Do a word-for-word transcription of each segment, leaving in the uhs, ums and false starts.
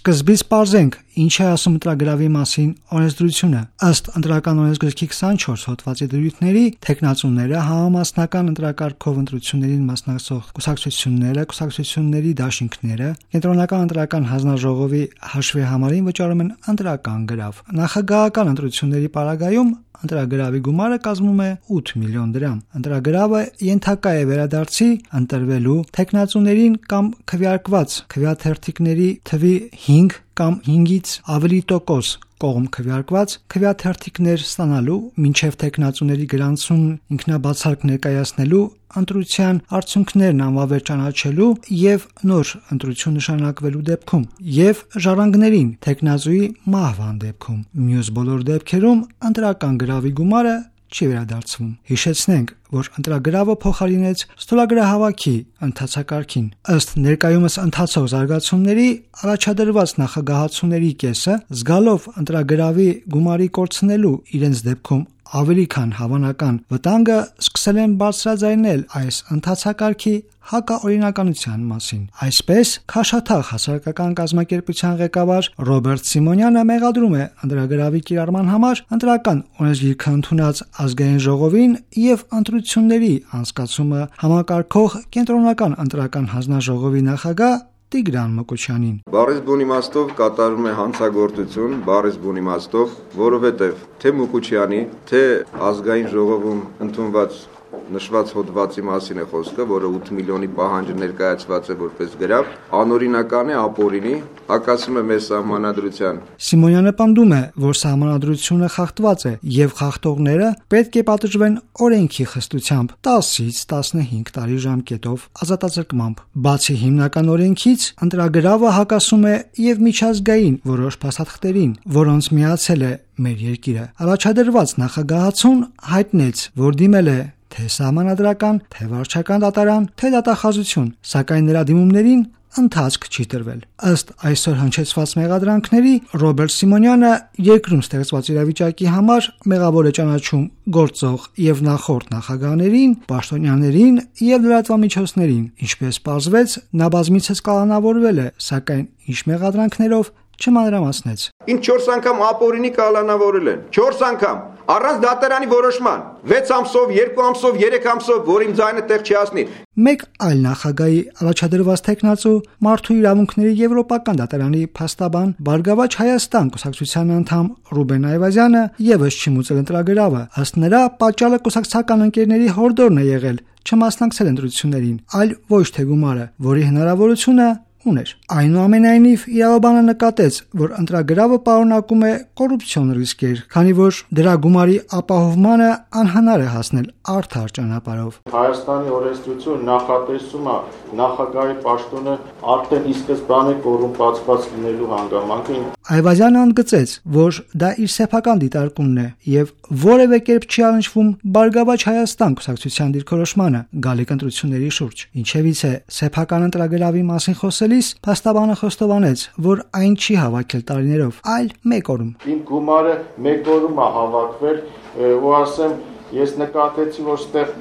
Սկզբից պարզենք, ինչ է ասում ընտրագրավի մասին օրենսդրությունը։ Ըստ ընտրական օրենսգրքի քսանչորս հոդվածի դրույթների, թեկնածուները համամասնական ընտրակարգով ընտրություններին մասնակցող կուսակցությունները, կուսակցությունների դաշինքները, կենտրոնական ընտրական հանձնաժողովի հաշվի համարին վճարում են ընտրական գրավ։ Նախագահական ընտրությունների պարագայում ընտրագրավի գումարը կազմում է ութ միլիոն դրամ։ Ընտրագրավը ենթակա է վերադարձի ընտրվելու թեկնածուներին կամ քվեարկված քվեաթերթիկների թվի հինգ կամ հինգից ավելի տոկոս կողմ քվեարկված քվեաթերթիկներ ստանալու, մինչև թեկնածուների գրանցուն ինքնաբացարկ ներկայացնելու, ընտրության արդյունքներն անվավեր ճանաչելու եւ նոր ընտրություն նշանակվելու դեպքում եւ ժառանգներին թեկնածուի մահվան դեպքում։ Մյուս բոլոր դեպքերում ընտրական գրավի գումարը չի վերադարձվում։ Հիշեցնենք, որ ընտրագրավը փոխարինեց ստորագրահավաքի ընթացակարգին։ Ըստ ներկայումս ընթացող զարգացումների, առաջադրված նախագահացուների կեսը, զգալով ընտրագրավի գումարի կորցնելու իրենց դեպքում ավելի քան հավանական վտանգը, սկսել են բարձրաձայնել այս ընթացակարգի հակաօրինականության մասին։ Այսպես, Քաշաթաղ հասարակական կազմակերպության ղեկավար Ռոբերտ Սիմոնյանը մեղադրում է ընտրագրավի կիրառման համար ընտրական օրենսգիրքը ընդունած ազգային ժողովին եւ ընտրությունների անցկացումը համակարգող կենտրոնական ընտրական հանձնաժողովի նախագահ Տիգրան Մկոչյանին։ Բառից բուն իմաստով կատարում է հանցագործություն, բառից բուն իմաստով, որովհետև թե Մկոչյանի, թե ազգային ժողովում ընդունված նշված հոդվածի մասին է խոսքը, որը ութ միլիոնի պահանջը ներկայացված է որպես գրավ, անօրինական է, ապօրինի, հակասում է մեր սահմանադրության։ Սիմոնյանը պնդում է, որ սահմանադրությունը խախտված է եւ խախտողները պետք է պատժվեն օրենքի խստությամբ տասից տասնհինգ տարի ժամկետով ազատազրկմամբ։ Բացի հիմնական օրենքից, ընտրագրավը հակասում է եւ միջազգային որոշ փաստաթղթերին, որոնց միացել է մեր երկիրը։ Առաջադրված նախագահացուն հայտնեց, որ դիմել է թե սահմանադրական, թե վարչական դատարան, թե դատախազություն, սակայն նրա դիմումներին ընթացք չի տրվել։ Ըստ այսօր հնչեցված մեղադրանքների, Ռոբերտ Սիմոնյանը երկրում ստեղծված իրավիճակի համար մեղավոր է ճանաչում գործող եւ նախորդ նախագահներին, պաշտոնյաներին եւ լրատվամիջոցներին։ Ինչպես պարզվեց, նա բազմիցս կալանավորվել է, սակայն ինչ մեղադրանքներով չմանրամասնեց։ Ինչ չորս անգամ ապօրինի կալանավորել են։ չորս անգամ առանց դատարանի որոշման, վեց ամսով, երկու ամսով, երեք ամսով, որ իմ ձայնը տեղ չի հասնի։ Մեկ այլ նախագահի առաջադրված թեկնածու Մարդու իրավունքների եվրոպական դատարանի փաստաբան Բարգավաճ Հայաստան կուսակցության անդամ Ռուբեն Այվազյանը եւս չի մուծել ընտրագրավը։ Ըստ նրա, պատճառը կուսակցական ընկերների հորդորն է եղել չմասնակցել ընտրություններին, այլ ոչ թե գումարը, որի հնարավորությունը ուներ։ Այնուամենայնիվ, իրավաբանը նկատեց, որ ընտրագրավը պարունակում է կոռուպցիոն ռիսկեր, քանի որ դրա գումարի ապահովմանը անհնար է հասնել արդար ճանապարհով։ Հայաստանի օրենսդրությունը նախատեսում է նախագահի պաշտոնը արդեն ի սկզբանե կոռումպացված լինելու հանգամանքը։ Այվազյանը ընդգծեց, որ դա իր սեփական դիտարկումն է եւ որևէ կերպ չի առնչվում Բարգավաճ Հայաստան կուսակցության դիրքորոշմանը գալիք ընտրությունների շուրջ։ Ինչևիցե, սեփական ընտրագրավի մասին խոսելիս փաստաբանը խոստովանեց, որ այն չի հավաքել տարիներով, այլ մեկ օրում։ Իմ գումարը մեկ օրում է հավաքվել, ու ասեմ, ես նկատեցի, որ ստեղ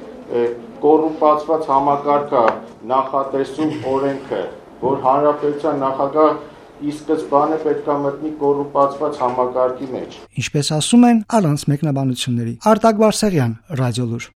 կոռումպացված համակարգ է նախատեսում օրենքը, որ հանրապետության նախագահ ի սկզբանե պետք է մտնի կոռումպացված համակարգի մեջ։ Ինչպես ասում են, առանց մեկնաբանությունների։ Արտակ Բարսեղյան, Ռադիոլուր։